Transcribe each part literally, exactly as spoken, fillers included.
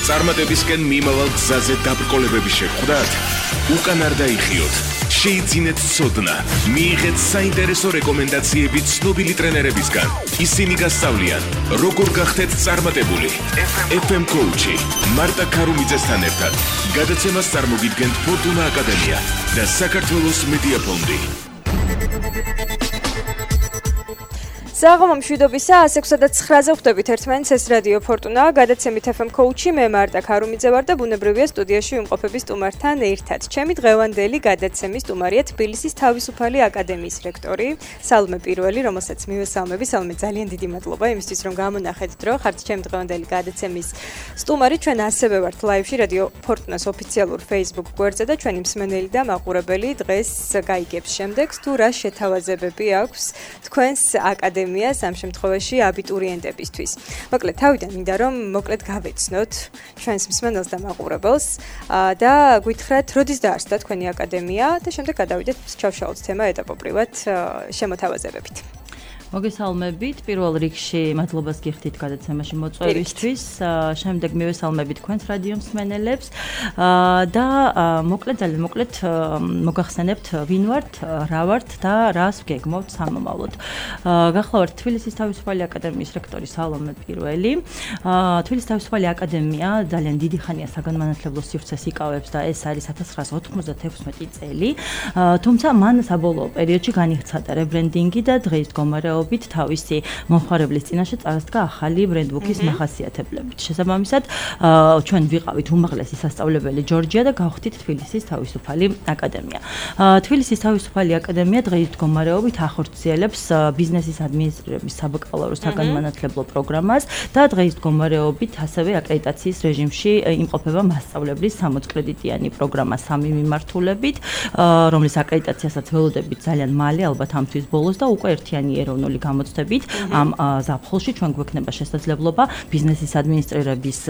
წარმატებისკენ მიმავალ გზაზე დაბრკოლებები შეხვდათ? უკან არ დაიხიოთ. შეიძინეთ ცოდნა, მიიღეთ საინტერესო რეკომენდაციები ცნობილი ტრენერებისგან. ისინი გასწავლიან, როგორ გახდეთ წარმატებული. ეფ ემ Coach-ი მარტა ქარუმიძესთან ერთად გადაცემას წარმოგიდგენთ ფორტუნა აკადემია და საქართველოს მედია ფონდი. საღამო მშვიდობისა, ასი ექვსი და ცხრაზე ხვდებით ერთმანეთს, ეს რადიო ფორტუნა, გადაცემით ეფ ემ Coach-ი, მე მარტა ქარუმიძე ვარ და ბუნებრივია სტუდიაში ვიმყოფები სტუმართან ერთად. ჩემი დღევანდელი გადაცემის სტუმარია თბილისის თავისუფალი აკადემიის რექტორი სალომე პირველი, რომელსაც მივესალმები. სალომე, ძალიან დიდი მადლობა იმისთვის, რომ გამონახეთ დრო, ხართ ჩემი დღევანდელი გადაცემის სტუმარი. ჩვენ ასევე ვართ ლაივში რადიო ფორტუნას ოფიციალურ Facebook გვერდზე და ჩვენი მსმენელი და მაყურებელი დღეს გაიგებს შემდეგს, თუ რა შეთავაზებები აქვს თქვენს აკადემიას ამ შემთხვევაში აბიტურიენტებისთვის. მოკლედ, თავიდან მინდა რომ მოკლედ გავეცნოთ ჩვენს მსმენელს და მაყურებელს და გითხრათ, როდის დაარსდა თქვენი აკადემია და შემდეგ გადავიდეთ ჩავშალოთ თემა ეტაპობრივად შემოთავაზებებით. მოგესალმებით, პირველ რიგში მადლობას გიხდით გადაცემაში მოწვევისთვის, შემდეგ მივესალმებით თქვენს რადიო მსმენელებს და მოკლედ ძალიან მოკლედ მოგახსენებთ ვინ ვართ, რა ვართ და რას ვგეგმავთ სამომავლოდ. გახლავართ თბილისის თავისუფალი აკადემიის რექტორი სალომე პირველი. თბილისის თავისუფალი აკადემია ძალიან დიდი ხანია საგანმანათლებლო სივრცეს იკავებს და ეს არის ათას ცხრაასა ოთხმოცდათექვსმეტი წელი. თუმცა მან საბოლოო პერიოდში განიხცადა რებრენდინგი და დღეს მდგომარეობა თავისი მომხმარებლის წინაშე წარსდგა ახალი ბრენდბუქის მახასიათებლებით. შესაბამისად, ჩვენ ვიყავით უმაღლესი სასწავლებელი ჯორჯია და გავხდით თბილისის თავისუფალი აკადემია. თბილისის თავისუფალი აკადემია დღეის მდგომარეობით ახორციელებს ბიზნესის ადმინისტრირების საბაკალავრო საგანმანათლებლო პროგრამას და დღეის მდგომარეობით ასევე აკრედიტაციის რეჟიმში იმყოფება მასწავლებლის სამოც კრედიტიანი პროგრამა სამი მიმართულებით, რომლის აკრედიტაციასაც ველოდებით ძალიან მალე, ალბათ ამ თვის ბოლოს და უკვე ერთიანი ეროვნული გამოცდებით ამ ზაფხულში ჩვენ გვექნება შესაძლებლობა ბიზნესის ადმინისტრირების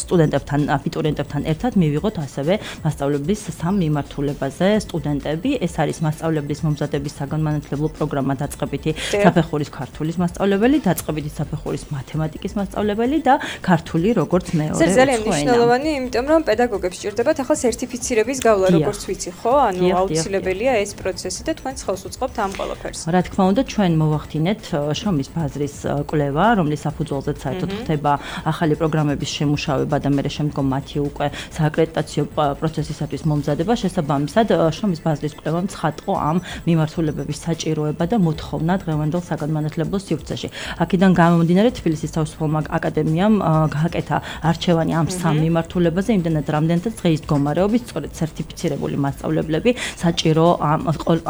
სტუდენტებთან, აბიტურიენტებთან ერთად მივიღოთ ასევე მასწავლებლის სამ მიმართულებაზე სტუდენტები. ეს არის მასწავლებლის მომზადების საგანმანათლებლო პროგრამა დაწყებითი საფეხურის ქართულის მასწავლებელი, დაწყებითი საფეხურის მათემატიკის მასწავლებელი და ქართული როგორც მეორე ენა. ძალიან მნიშვნელოვანი, იმიტომ რომ პედაგოგებს სჭირდებათ ახლა სერტიფიცირების გავლა, როგორც ვიცი, ხო? ანუ აუცილებელია ეს პროცესი და თქვენც ხელს უწყობთ ამ ყველაფერს. რა თქმა უნდა, ჩვენ მოვახდინეთ შრომის ბაზრის კვლევა, რომლის საფუძველზეც საერთოდ ხდება ახალი პროგრამების შემუშავება და მერე შემდგომ მათი უკვე სააკრედიტაციო პროცესისათვის მომზადება. შესაბამისად, შრომის ბაზრის კვლევამ ცხადყო ამ მიმართულებების საჭიროება და მოთხოვნა დღევანდელ საგანმანათლებლო სივრცეში. აქედან გამომდინარე, თბილისის თავისუფალმა აკადემიამ გააკეთა არჩევანი ამ სამ მიმართულებაზე, იმდენად რამდენადაც დღეის მდგომარეობით სწორედ სერტიფიცირებული მასწავლებლები საჭირო ამ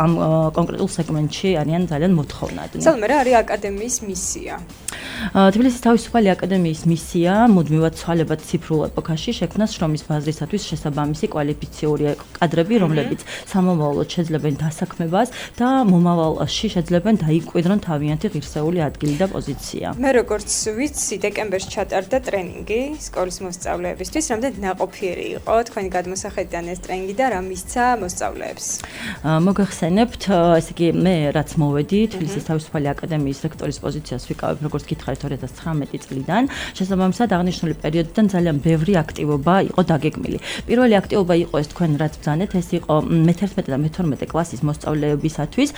ამ კონკრეტულ სეგმენტში არიან ძალიან მოთხოვნადნი. სალომე, რა არის აკადემიის მისია? თბილისის თავისუფალი აკადემიის მისია მუდმივად ცვალებად ციფრულ ეპოქაში შექმნა შრომის ბაზრისათვის შესაბამისი კვალიფიციური კადრები, რომლებიც სამომავლოდ შეძლებენ დასაქმებას და მომავალში შეძლებენ დაიკვირდონ თავიანთი ღირსეული ადგილი და პოზიცია. მე როგორც ვიცი, დეკემბერში ჩატარდა ტრენინგი სკოლის მოსწავლეებისთვის, რამდენად ნაყოფიერი იყო თქვენი გადმოსახედიდან ეს ტრენინგი და რა მისცა მოსწავლეებს? მოგახსენებთ, ესე იგი მე რაც მოვედი თბილისის თავისუფალი აკადემიის რექტორის პოზიციას ვიკავებ, როგორც გითხარით ორი ათას ცხრამეტი წლიდან. შესაბამისად, აღნიშნული პერიოდიდან ძალიან ბევრი აქტივობა იყო დაგეგმილი. პირველი აქტივობა იყო ეს თქვენ რაც ბრძანეთ, ეს იყო მეთერთმეტე და მეთორმეტე კლასის მოსწავლეებისათვის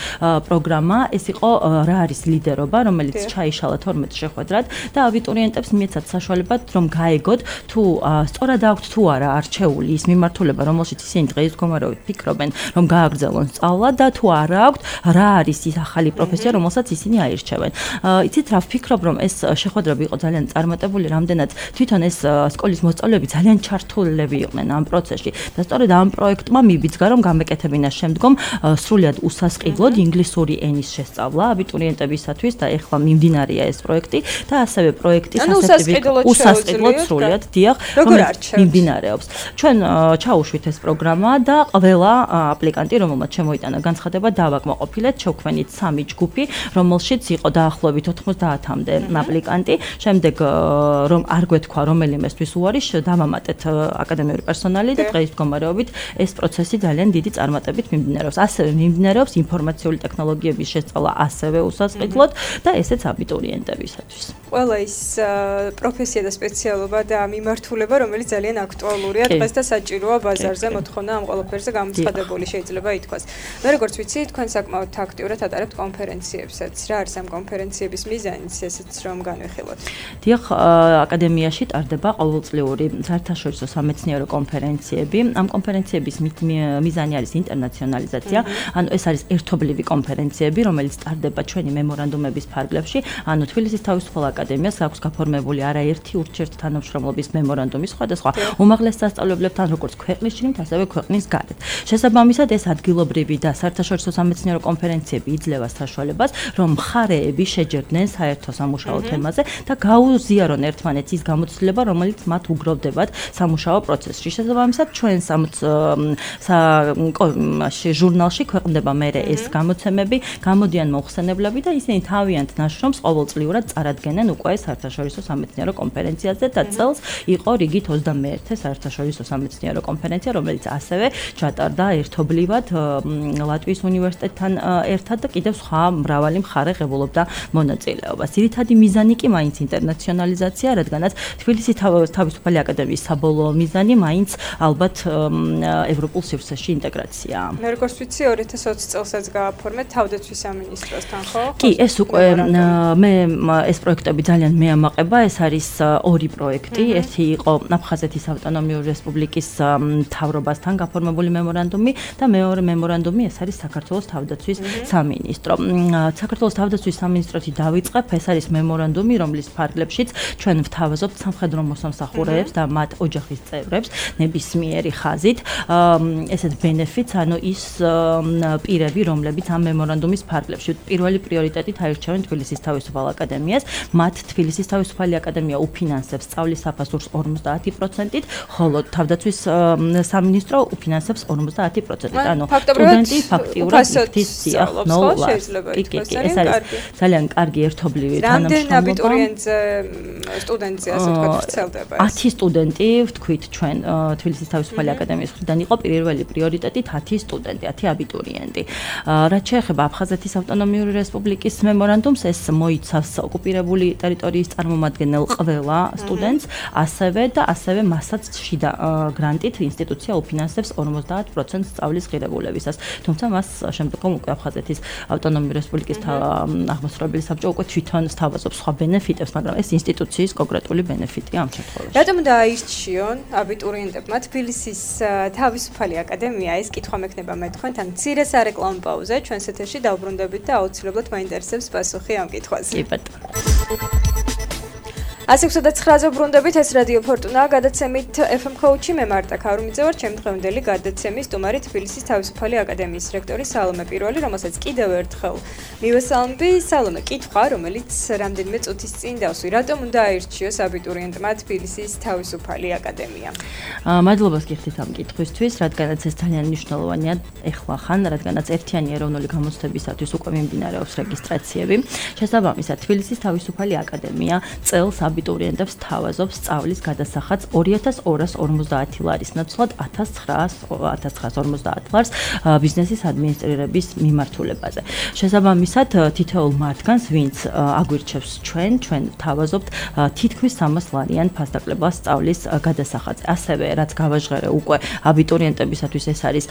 პროგრამა, ეს იყო რა არის ლიდერობა, რომელიც ჩაიშალა თორმეტ შეხვედრად და აბიტურიენტებს მიეცათ საშუალება, რომ გაეგოთ თუ სწორად აქვთ თუ არა არჩეული ის მიმართულება, რომელშიც ისინი დღეს მდგომარეობით ფიქრობენ, რომ გააგრძელონ სწავლა და თუ არა აქვთ რა არის ის ახალი პროფესია, რომელსაც ისინი აირჩევენ. იცით რა ვფიქრობ, რომ ეს შეხვედრები იყო ძალიან წარმატებული, რამდენად თვითონ ეს სკოლის მოსწავლეები ძალიან ჩართულები იყვნენ ამ პროცესში და სწორედ ამ პროექტმა მიბიძგა, რომ გამეკეთებინა შემდგომ სრულად უსასყიდლოდ ინგლისური ენის შესწავლა აბიტურიენტებისათვის და ეხლა მიმდინარეა ეს პროექტი და ასევე პროექტის ასეთივე უსასყიდლოდ სრულად დიახ, რომელიც მიმდინარეობს. ჩვენ ჩაუშვით ეს პროგრამა და ყველა აპლიკანტი, რომელმაც შემოიტანა განცხადება, დავაკმაყოფილეთ, შევქმნით სამი ჯგუფი ჯგუფი, რომელშიც იყო დაახლოებით ოთხმოცდაათამდე აპლიკანტი. შემდეგ რომ არ გვეთქვა რომელიმესთვის უარი, დავამატეთ აკადემიური პერსონალი და დღეს მდგომარეობით ეს პროცესი ძალიან დიდი წარმატებით მიმდინარეობს. ასევე მიმდინარეობს ინფორმაციული ტექნოლოგიების შესწავლა ასევე უსასყიდლოდ და ესეც აბიტურიენტებისათვის. ყველა ის პროფესია და სპეციალობა და მიმართულება, რომელიც ძალიან აქტუალურია დღეს და საჭიროა ბაზარზე მოთხოვნა ამ ყველაფერზე გამოცხადებული შეიძლება ითქვას. მე როგორც ვიცი, თქვენ საკმაოდ აქტიურად ატარებთ კონფერენციებსაც. რა არის ამ კონფერენციების მიზანიც, ესეც რომ განვიხილოთ? დიახ, აკადემიაში ტარდება ყოველწლიური საერთაშორისო სამეცნიერო კონფერენციები. ამ კონფერენციების მიზანი არის ინტერნაციონალიზაცია. ანუ ეს არის ერთობლივი კონფერენციები, რომელიც ტარდება ჩვენი მემორანდუმების ფარგლებში. ანუ თბილისის თავისუფალ აკადემიას აქვს გაფორმებული არაერთი ურთიერთ თანამშრომლობის მემორანდუმი სხვადასხვა უმაღლეს სასწავლებლებთან, როგორც ქვეყნის შიგნით, ასევე ქვეყნის გარეთ. შესაბამისად, ეს ადგილობრივი და საერთაშორისო სამეცნიერო კონფერენციები იძლევა საშუალებას, რომ მხარეები შეჯერდნენ საერთო სამუშაო თემაზე და გაუზიარონ ერთმანეთს ის გამოცდილება, რომელიც მათ უგროვდებათ სამუშაო პროცესში. შესაბამისად, ჩვენს ამ ჟურნალში ქვეყნდება მერე ეს გამოცემები, გამოდიან მოხსენებლები და ისინი თავიანთ ნაშრომს ყოველწლიურად წარადგენენ უკვე საერთაშორისო სამეცნიერო კონფერენციაზე და წელს იყო რიგით ოცდამეერთე საერთაშორისო სამეცნიერო კონფერენცია, რომელიც ასევე ჩატარდა ერთობლივად ლატვიის უნივერსიტეტთან ერთად და კიდევ სხვა მრავალი მხარე ღებულობდა მონაწილეობას. ძირითადი მიზანი კი მაინც ინტერნაციონალიზაცია, რადგანაც თბილისის თავისუფალი აკადემიის საბოლოო მიზანი მაინც ალბათ ევროპულ სივრცეში ინტეგრაციაა. მე როგორც ვიცი, ორი ათას ოცი წელსაც გააფორმეთ თავდაცვის სამინისტროსთან, ხო? კი, ეს უკვე მე ეს პროექტები ძალიან მეამაყება, ეს არის ორი პროექტი. ერთი იყო აფხაზეთის ავტონომიური რესპუბლიკის მთავრობასთან გაფორმებული მემორანდუმი და მეორე მემორანდუმი ეს არის საქართველოს თავდაცვის სამინისტრო. საქართველოს თავდაცვის სამინისტროთი დავიწყებ, ეს არის მემორანდუმი, რომლის ფარგლებშიც ჩვენ ვთავაზობთ სამხედრო მოსამსახურეებს და მათ ოჯახის წევრებს ნებისმიერი ხაზით ესეთ benefits, ანუ ის პირები, რომლებიც ამ მემორანდუმის ფარგლებში პირველი პრიორიტეტით აირჩევენ თბილისის თავისუფალ აკადემიას, მათ თბილისის თავისუფალი აკადემია უფინანსებს სწავლის საფასურს ორმოცდაათი პროცენტით, ხოლო თავდაცვის სამინისტრო უფინანსებს ორმოცდაათი პროცენტით. ანუ სტუდენტი ფაქტიურად იქთის სიახლოვეს. ეს არის ძალიან კარგი ერთობლივი თანამშრომლობა. რამდენ აბიტურიენტზე სტუდენტზე ასე ვთქვათ ვრცელდება? ათი სტუდენტი ვთქვით ჩვენ თბილისის თავისუფალი აკადემიის მხრიდან იყო პირველი პრიორიტეტით ათი სტუდენტი, ათი აბიტურიენტი. რაც შეეხება აფხაზეთის ავტონომიური რესპუბლიკის მემორანდუმს, ეს მოიცავს ოკუპირებული ტერიტორიის წარმომადგენელ ყველა სტუდენტს, ასევე და ასევე მასაც შიდა გრანტით ინსტიტუცია უფინანსებს ორმოცდაათ პროცენტს სწავლის ღირებულებისას. თუმცა მას შემდგომ უკვე აფხაზეთის ავტონომიური რესპუბლიკის აღმასრულებელი საბჭო უკვე თვითონ სთავაზობს სხვა ბენეფიტებს, მაგრამ ეს ინსტიტუციის კონკრეტული ბენეფიტია ამ შემთხვევაში. რატომ დააირჩიონ აბიტურიენტებმა თბილისის თავისუფალი აკადემია? ეს კითხვა მექნება მე თქვენთან მცირე სარეკლამო პაუზე, ჩვენს ეთერში დავბრუნდებით და აუცილებლად მაინტერესებს პასუხი ამ კითხვაზე. კი ბატონო. ასი ოცდაცხრაზე ბრუნდებით, ეს რადიო ფორტუნა, გადაცემით ეფ ემ Coach-ი, მე მარტა ქარუმიძე ვარ, ჩემი დღევანდელი გადაცემის სტუმარი თბილისის თავისუფალი აკადემიის რექტორი სალომე პირველი, რომელსაც კიდევ ერთხელ მივესალმები. სალომე, კითხვა, რომელიც რამდენიმე წუთის წინ დავსვი, რატომ უნდა აირჩიოს აბიტურიენტმა თბილისის თავისუფალი აკადემია? მადლობას გიხდით ამ კითხვისთვის, რადგანაც ეს ძალიან მნიშვნელოვანია ეხლა ხან, რადგანაც ერთიანი ეროვნული გამოცდებისათვის უკვე მიმდინარეობს რეგისტრაციები. შესაბამისად, თბილისის თავისუფალი აკადემია წელს აბიტურიენტებს თავაზობს სწავლის გადასახადს ორი ათას ორას ორმოცდაათი ლარის ნაცვლად ათას ცხრაას ორმოცდაათ ლარს ბიზნესის ადმინისტრირების მიმართულებაზე. შესაბამისად, თითოეულ მათგანს, ვინც აგვირჩევს ჩვენ, ჩვენ თავაზობთ თითქმის სამას ლარიან ფასდაკლებას სწავლის გადასახადზე. ასევე, რაც გავაჟღერე უკვე აბიტურიენტებისათვის, ეს არის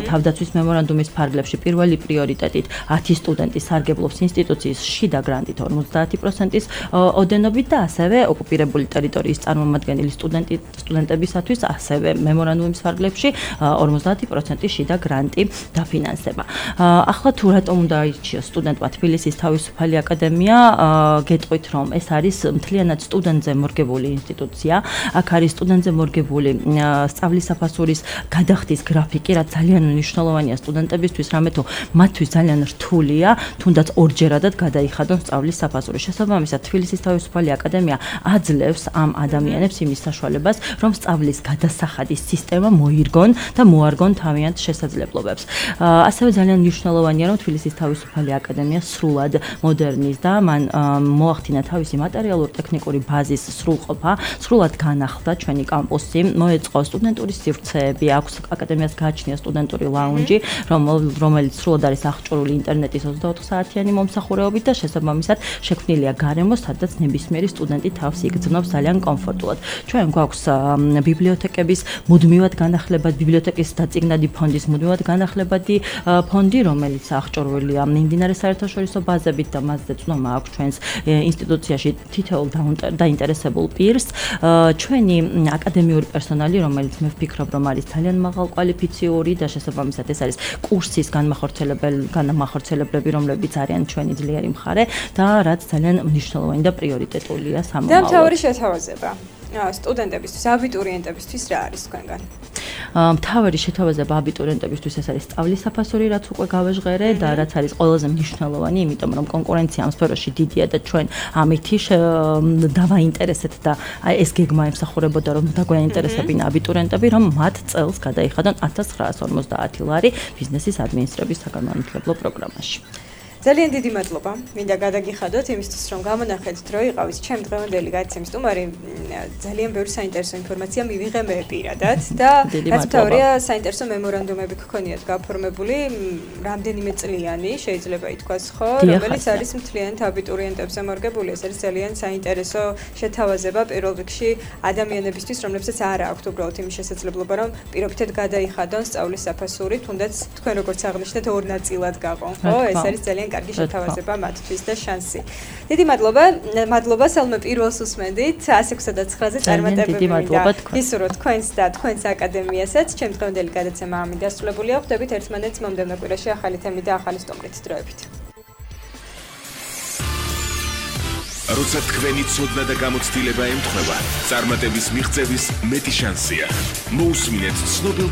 თავდაცვის მემორანდუმის ფარგლებში პირველი პრიორიტეტით ათი სტუდენტი სარგებლობს ინსტიტუციის შიდა გრანტით ორმოცდაათი პროცენტის ოდენობით და ასევე ოკუპირებული ტერიტორიის წარმომადგენელი სტუდენტი სტუდენტებისათვის ასევე მემორანდუმის ფარგლებში ორმოცდაათი პროცენტი შიდა გრანტი დაფინანსება. ახლა თუ რატომ უნდა აირჩიოს სტუდენტმა თბილისის თავისუფალი აკადემია? გეტყვით, რომ ეს არის მთლიანად სტუდენტზე მორგებული ინსტიტუცია. აქ არის სტუდენტზე მორგებული სწავლის საფასურის გადახდის გრაფიკი, რაც ძალიან მნიშვნელოვანია სტუდენტებისთვის, რამე თუ მათთვის ძალიან რთულია, თუნდაც ორჯერადად გადაიხადონ სწავლის საფასური. შესაბამისად, თბილისის თავისუფალი აკადემია აძლევს ამ ადამიანებს იმის საშუალებას, რომ სწავლის გადასახადის სისტემა მოირგონ და მოარგონ თავიანთ შესაძლებლობებს. ასევე ძალიან მნიშვნელოვანია, რომ თბილისის თავისუფალი აკადემია სრულად მოდერნის და მან მოახდინა თავისი მატერიალურ-ტექნიკური ბაზის სრულყოფა, სრულად განახლდა ჩვენი კამპუსი, მოეწყო სტუდენტური სივრცეები, აქვს აკადემიას გააჩნია სტუდენტური ლაუნჯი, რომელიც სრულად არის აღჭურვილი ინტერნეტის ოცდაოთხ საათიანი მომსახურეობით და შესაბამისად შექმნილია გარემო, სადაც ნებისმიერი სტუდენტი თავს იგრძნობს ძალიან კომფორტულად. ჩვენ გვაქვს ბიბლიოთეკების მუდმივად განახლებადი ბიბლიოთეკის დაწიგნადი ფონდის მუდმივად განახლებადი ფონდი, რომელიც აღჭურვილია მიმდინარე საერთაშორისო ბაზებით და მასზე ცნობა აქვს ჩვენს ინსტიტუციაში თითოეულ დაინტერესებულ პირს. ჩვენი აკადემიური პერსონალი, რომელიც მე ვფიქრობ, რომ არის ძალიან მაღალ კვალიფიციური და შესაბამისად ეს არის კურსის განმახორციელებლები, რომლებიც არიან ჩვენი ძლიერი მხარე და რაც ძალიან მნიშვნელოვანი და პრიორიტეტულია სამომავლოდ. და მთავარი შეთავაზება სტუდენტებისთვის, აბიტურიენტებისთვის რა არის თქვენგან? მთავარი შეთავაზება აბიტურიენტებისთვის ეს არის სწავლის საფასური, რაც უკვე გავეჟღერე და რაც არის ყველაზე მნიშვნელოვანი, იმიტომ რომ კონკურენცია ამ სფეროში დიდია და ჩვენ ამითი დავაინტერესეთ და ეს გეგმა ემსახურებოდა, რომ დაგვაინტერესებინა აბიტურიენტები, რომ მათ წელს გადაიხადონ ათას ცხრაას ორმოცდაათი ლარი ბიზნესის ადმინისტრების საგანმანათლებლო პროგრამაში. ძალიან დიდი მადლობა. მინდა გადაგიხადოთ იმისთვის, რომ გამონახეთ დრო იყავით ჩემ დღევანდელი გადაცემის სტუმარი. ძალიან ბევრი საინტერესო ინფორმაცია მივიღე მე პირადად და რაც მთავარია, საინტერესო მემორანდუმები გქონიათ გაფორმებული, რამდენიმე წლიანი, შეიძლება ითქვას, ხო, რომელიც არის მთლიანად აბიტურიენტებზე მორგებული. ეს არის ძალიან საინტერესო შეთავაზება პირველ რიგში ადამიანებისთვის, რომლებსაც არ აქვთ უბრალოდ იმის შესაძლებლობა, რომ პირობითად გადაიხადონ სწავლის საფასური, თუნდაც თქვენ როგორც აღნიშნეთ, ორ ნაწილად გაყონ, ხო? ეს არის ძალიან კარგი შეთავაზება მათთვის და შანსი. დიდი მადლობა, მადლობა სალმე პირველს უსმენდით one six nine-ზე წარმატებები მინდა ისურვოთ თქვენს და თქვენს აკადემიასაც. ჩემ დღევანდელი გადაცემა ამით დასრულებულია. ხვდებით ერთმანეთს მომდევნო კვირაში ახალი თემით და ახალი სტუმრით. დროებით. როცა თქვენი ცოდნა და გამოცდილება ემთხვევა, წარმატების მიღწევის მეტი შანსია. მოусმინეთ ცნობილ